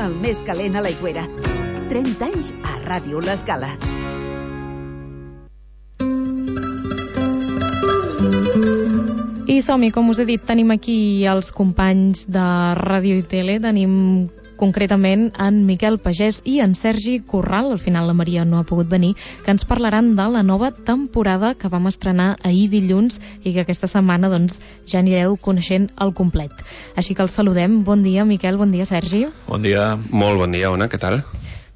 el més calent a l'Aigüera. 30 anys a Ràdio L'Escala. I som-hi, com us he dit, tenim aquí els companys de Ràdio i Tele, tenim concretament en Miquel Pagès i en Sergi Corral, al final la Maria no ha pogut venir, que ens parlaran de la nova temporada que vam estrenar ahir dilluns i que aquesta setmana doncs, ja anireu coneixent al complet. Així que els saludem. Bon dia, Miquel, bon dia, Sergi. Bon dia. Molt bon dia, Ona, què tal?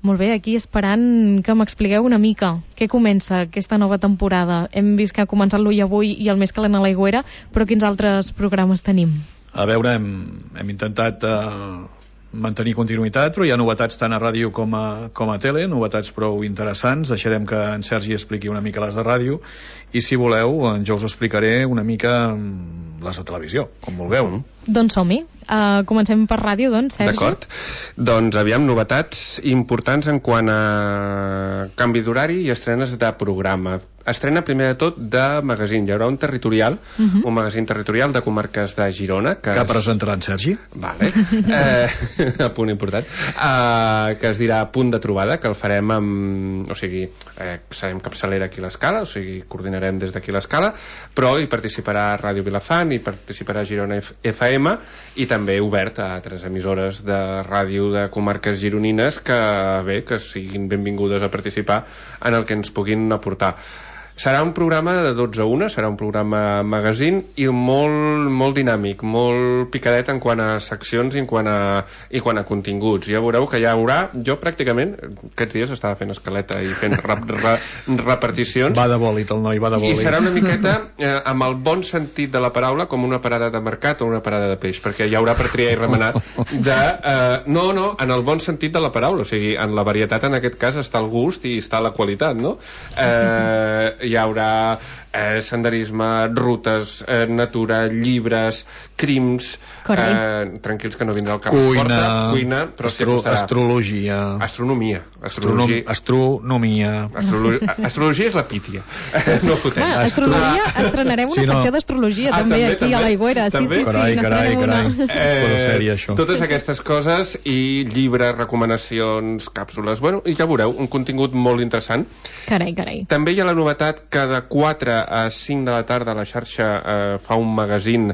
Molt bé, aquí esperant que m'expliqueu una mica què comença aquesta nova temporada. Hem vist que ha començat l'Ull Avui i el Més Calent a l'Aigüera, però quins altres programes tenim? A veure, hem intentat mantenir continuïtat, però hi ha novetats tant a ràdio com a tele, novetats prou interessants. Deixarem que en Sergi expliqui una mica les de ràdio i, si voleu, jo us explicaré una mica les de televisió, com vulgueu. Doncs som-hi. Comencem per ràdio, doncs, Sergi. D'acord. Doncs aviam, novetats importants en quant a canvi d'horari i estrenes de programa. Estrena primer de tot de magazín. Hi haurà un territorial, un magazín territorial de comarques de Girona. Que presentarà en Sergi? Vale. Punt important. Que es dirà Punt de Trobada, que el farem amb... O sigui, serem capçalera aquí a l'Escala, o sigui, coordinarem des d'aquí l'Escala, però hi participarà Ràdio Vilafant, hi participarà Girona FM, i també obert a altres emissores de ràdio de comarques gironines que siguin benvingudes a participar en el que ens puguin aportar. Serà un programa de 12 a 1, serà un programa magazín i molt dinàmic, molt picadet en quant a seccions i en quant a continguts. Ja veureu que ja haurà, jo pràcticament aquests dies estava fent escaleta i fent reparticions. Va de bòlit el noi, va de bòlit. I serà una miqueta, amb el bon sentit de la paraula, com una parada de mercat o una parada de peix, perquè hi haurà per triar i remenar no, en el bon sentit de la paraula, o sigui, en la varietat en aquest cas està el gust i està la qualitat, no? Hi haurà senderisme, rutes, natura, llibres, crims, tranquils que no vindrà al cap cuina, però astrologia, astronomia, astrologia és la pítia, no fotem. Astrologia, estrenarem una secció d'astrologia també aquí a l'Aigüera. Carai, totes aquestes coses i llibres, recomanacions, càpsules, bueno, i ja veureu, un contingut molt interessant. Carai. També hi ha la novetat que de 4 a 5 de la tarda la xarxa fa un magazín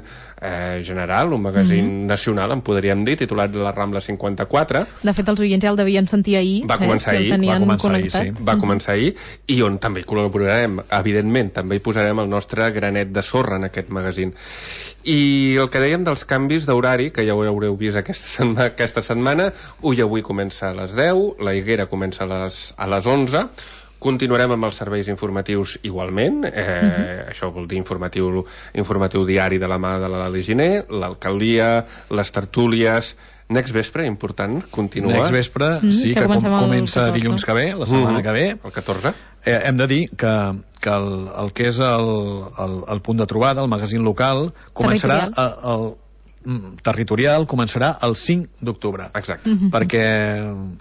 general, un magazín nacional, en podríem dir, titulat La Rambla 54. De fet, els oients ja el devien sentir ahir. Va començar ahir, i on també hi col·laborarem, evidentment, també hi posarem el nostre granet de sorra en aquest magazín. I el que dèiem dels canvis d'horari, que ja ho haureu vist aquesta setmana, Ull Avui comença a les 10, La Higuera comença a les 11, continuarem amb els serveis informatius igualment, això vol dir informatiu diari de la mà de l'Ali Giner, l'alcaldia, les tertúlies. Next Vespre, important, continua. Next Vespre, sí, que comença dilluns que ve, la setmana que ve. El 14. Hem de dir que el que és el punt de trobada, el magazín local, començarà territorial començarà el 5 d'octubre. Exacte. Perquè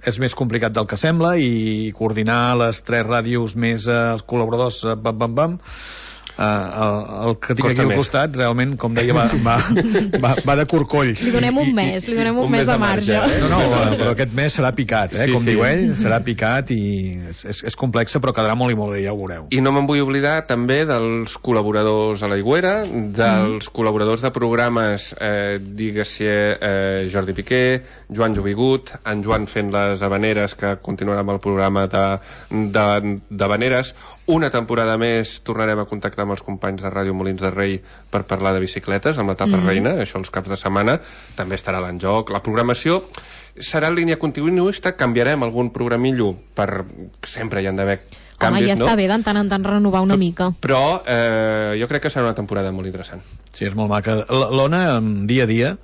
és més complicat del que sembla i coordinar les 3 ràdios més els col·laboradors el que tinc aquí al costat realment, com deia, va de corcoll. Li donem un mes de marge. No, però aquest mes serà picat, com diu ell, serà picat i és complexa, però quedarà molt i molt bé, ja ho veureu. I no me'n vull oblidar també dels col·laboradors a l'Aigüera, dels col·laboradors de programes, digues-hi Jordi Piqué, Joan Jovigut, en Joan fent les habaneres, que continuarà amb el programa d'habaneres. Una temporada més tornarem a contactar amb els companys de Ràdio Molins de Rei per parlar de bicicletes, amb l'etapa reina, això els caps de setmana, també estarà l'enjoc. La programació serà en línia continuista, canviarem algun programillo, sempre hi han d'haver canvis, ja està bé de tant en tant renovar una mica. Però jo crec que serà una temporada molt interessant. Sí, és molt maca. L'Ona, dia a dia,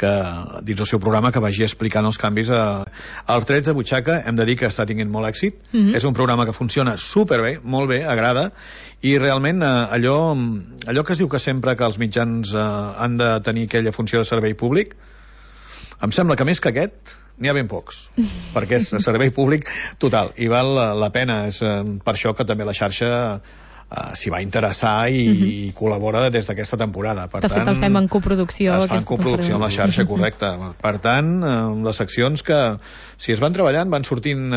que dins el seu programa que vagi explicant els canvis als drets de butxaca. Hem de dir que està tinguent molt èxit. És un programa que funciona superbé, molt bé, agrada, i realment allò que es diu que sempre que els mitjans han de tenir aquella funció de servei públic, em sembla que més que aquest n'hi ha ben pocs, perquè és servei públic total i val la pena. És per això que també la xarxa s'hi va interessar i col·labora des d'aquesta temporada. Per de fet, el fem en coproducció. Es fa en coproducció amb la xarxa, correcte. Per tant, les seccions que, si es van treballant, van sortint...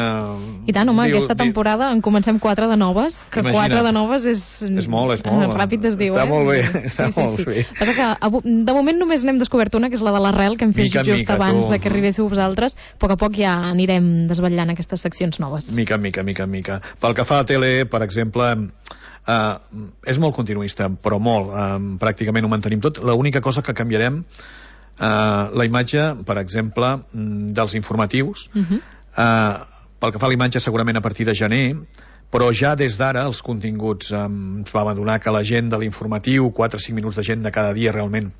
I tant, home, aquesta temporada en comencem 4 de noves, que imagina't. 4 de noves és... És molt. Ràpid es diu, està molt bé, està molt bé. Passa que, de moment només n'hem descobert una, que és la de l'Arrel, que hem fet just abans de que arribéssiu vosaltres. A poc a poc ja anirem desvetllant aquestes seccions noves. Mica en mica. Pel que fa a tele, per exemple... és molt continuista, però molt, pràcticament ho mantenim tot. L'única cosa que canviarem, la imatge, per exemple, dels informatius, pel que fa a la imatge segurament a partir de gener, però ja des d'ara els continguts ens vam adonar que la gent de l'informatiu, 4 o 5 minuts de gent de cada dia realment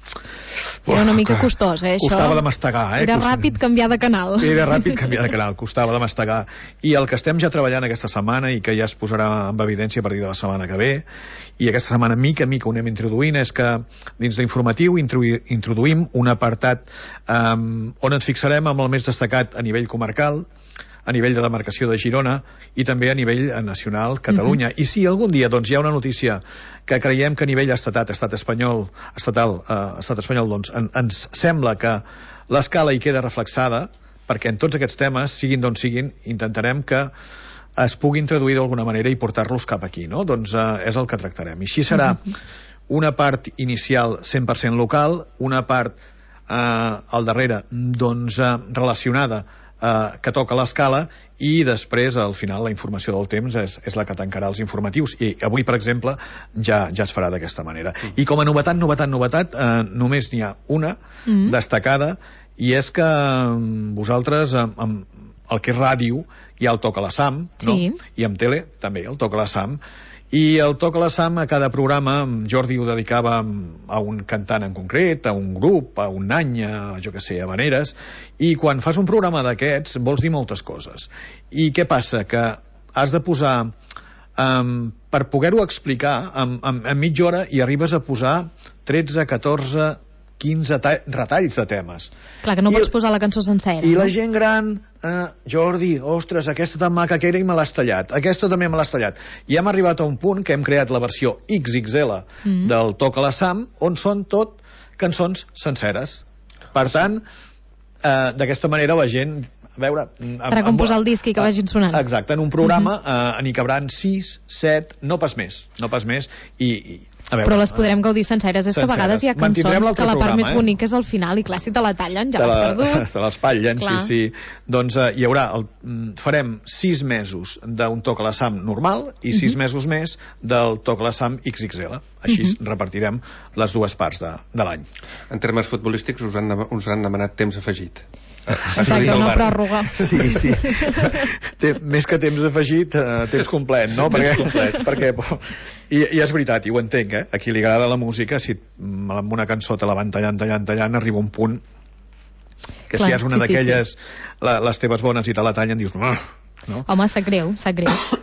era una mica costós, costava de mastegar, era ràpid canviar de canal, costava de mastegar, i el que estem ja treballant aquesta setmana i que ja es posarà en evidència a partir de la setmana que ve, i aquesta setmana mica ho anem introduint, és que dins l'informatiu introduïm un apartat on ens fixarem amb el més destacat a nivell comarcal, a nivell de demarcació de Girona i també a nivell nacional, Catalunya. I si algun dia doncs, hi ha una notícia que creiem que a nivell estatal espanyol doncs, ens sembla que l'escala hi queda reflexada, perquè en tots aquests temes, siguin d'on siguin, intentarem que es puguin traduir d'alguna manera i portar-los cap aquí, no? Doncs és el que tractarem. I així serà una part inicial 100% local, una part al darrere doncs, relacionada que toca l'escala, i després al final la informació del temps és la que tancarà els informatius, i avui per exemple ja es farà d'aquesta manera. I com a novetat només n'hi ha una destacada, i és que vosaltres amb el que és ràdio hi ha el Toca la Sam, no? I amb tele també el Toca la Sam, i el Toca la Sam a cada programa Jordi ho dedicava a un cantant en concret, a un grup, a un any, jo que sé, a habaneres, i quan fas un programa d'aquests vols dir moltes coses. I què passa? Que has de posar per poder-ho explicar en mitja hora i arribes a posar 13, 14, 15 retalls de temes. Clar, que no pots posar la cançó sencera. I la gent gran, Jordi, ostres, aquesta tan maca que era i me l'has tallat, aquesta també me l'has tallat. I hem arribat a un punt que hem creat la versió XXL del Toca la Sam, on són tot cançons senceres. Per tant, d'aquesta manera la gent... A veure, serà com posar el disc i que vagin sonant. Exacte, en un programa n'hi cabran 6, 7, no pas més, i a veure, però les podrem gaudir senceres. És que a vegades hi ha cançons que la part més bonica és al final, i clar, si te la tallen ja l'has perdut. Te l'espatllen, sí. Doncs hi haurà, farem 6 mesos d'un Toca la Sam normal i 6 mesos més del Toca la Sam XXL. Així repartirem les dues parts de l'any. En termes futbolístics us han demanat temps afegit. Exacte, una pròrroga. Sí. Més que temps afegit, temps complet, no? Perquè i és veritat, i ho entenc, a qui li agrada la música, si amb una cançó te la van tallant, arriba un punt que si és una d'aquelles, les teves bones i te la tallen, dius... No? Home, sap greu.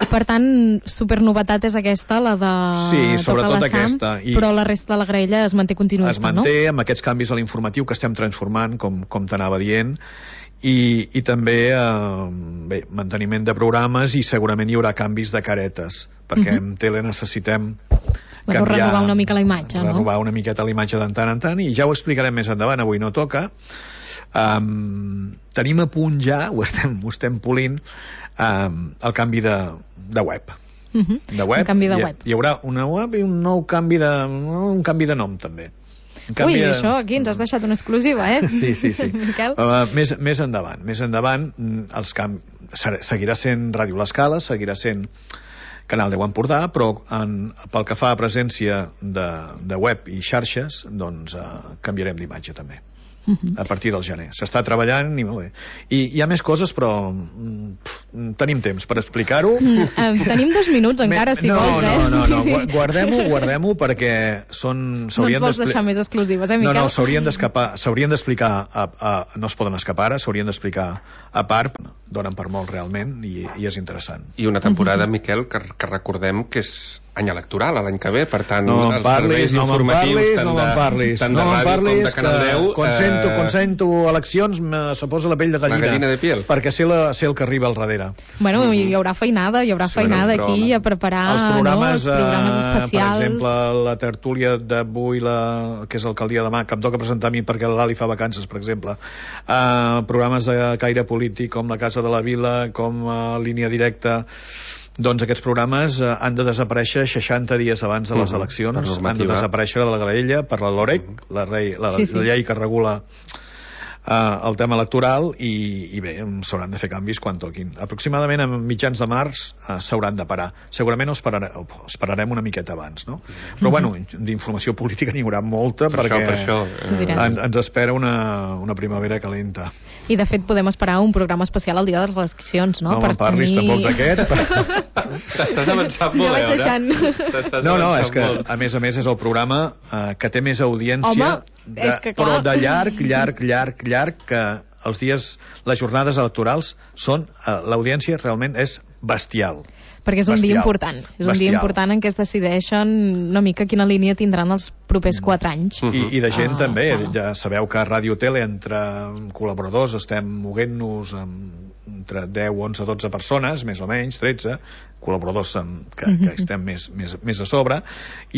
Per tant, supernovetat és aquesta, la de sí, sobretot aquesta. Però la resta de la graella es manté continuista, es manté, no? Amb aquests canvis a l'informatiu que estem transformant, com t'anava dient, i també manteniment de programes, i segurament hi haurà canvis de caretes, perquè en tele necessitem canviar, renovar una mica la imatge, no? Renovar una miqueta la imatge de tant en tant, i ja ho explicarem més endavant, avui no toca. Tenim a punt ja, ho estem polint, el canvi de web. Un canvi de web. Hi haurà una web i un nou canvi de nom també. Ui, això aquí ens has deixat una exclusiva, Sí. Miquel? Més endavant seguirà sent Ràdio l'Escala, seguirà sent Canal 10 Empordà, però pel que fa a presència de web i xarxes, doncs canviarem d'imatge també. A partir del gener. S'està treballant i molt bé. I hi ha més coses, però tenim temps per explicar-ho. Tenim 2 minuts encara, si vols, No, guardem-ho perquè no ens vols deixar més exclusives, Miquel? No, s'haurien d'explicar no es poden escapar ara, s'haurien d'explicar a part, donen per molt realment, i és interessant. I una temporada, Miquel, que recordem que és any electoral, l'any que ve, per tant, no me'n parlis, tant de ràdio com de Canal 10, quan sento eleccions se posa la pell de gallina, de piel, perquè sé el que arriba al darrere. l'aigüera. Bueno, hi haurà feinada aquí a preparar els programes, els programes especials. per exemple, la tertúlia d'avui, que és el dia demà, que em toca presentar a mi perquè l'Ali fa vacances, per exemple. Programes de caire polític com la Casa de la Vila, com Línia Directa. Doncs aquests programes han de desaparèixer 60 dies abans de les eleccions, han de desaparèixer de la graella per la LOREC, la llei que regula el tema electoral, i bé, s'hauran de fer canvis quan toquin. Aproximadament a mitjans de març s'hauran de parar. Segurament esperarem una miqueta abans, no? Però bueno, d'informació política n'hi haurà molta, perquè ens espera una primavera calenta. I de fet podem esperar un programa especial al dia de les eleccions, no? No me'n parlis tampoc d'aquest. T'estàs avançant molt, ja vaig deixant. No, és que a més és el programa que té més audiència. Home, però de llarg, que els dies, les jornades electorals són, l'audiència realment és bestial. Perquè és un dia important. És un dia important en què es decideixen una mica quina línia tindran els propers 4 anys. I de gent també. Ja sabeu que a Ràdio Tele, entre col·laboradors, estem moguent-nos entre 10, 11, 12 persones, més o menys, 13 col·laboradors que estem més a sobre,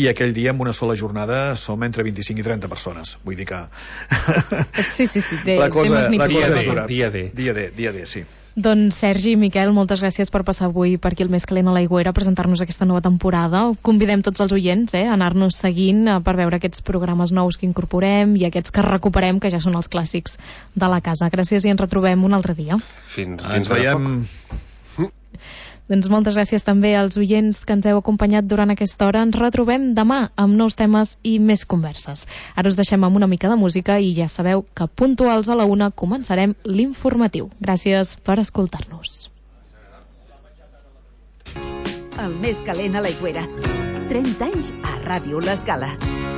i aquell dia en una sola jornada som entre 25 i 30 persones. Vull dir que... Sí, la cosa és dura. Dia D, sí. Doncs Sergi i Miquel, moltes gràcies per passar avui per aquí al Més Calent a l'Aigüera a presentar-nos aquesta nova temporada. Convidem tots els oients a anar-nos seguint per veure aquests programes nous que incorporem i aquests que recuperem, que ja són els clàssics de la casa. Gràcies i ens retrobem un altre dia. Ens veiem. Doncs moltes gràcies també als oients que ens heu acompanyat durant aquesta hora. Ens retrobem demà amb nous temes i més converses. Ara us deixem amb una mica de música i ja sabeu que puntuals a la 1 començarem l'informatiu. Gràcies per escoltar-nos. El Més Calent a l'Aigüera. 30 anys a Ràdio L'Escala.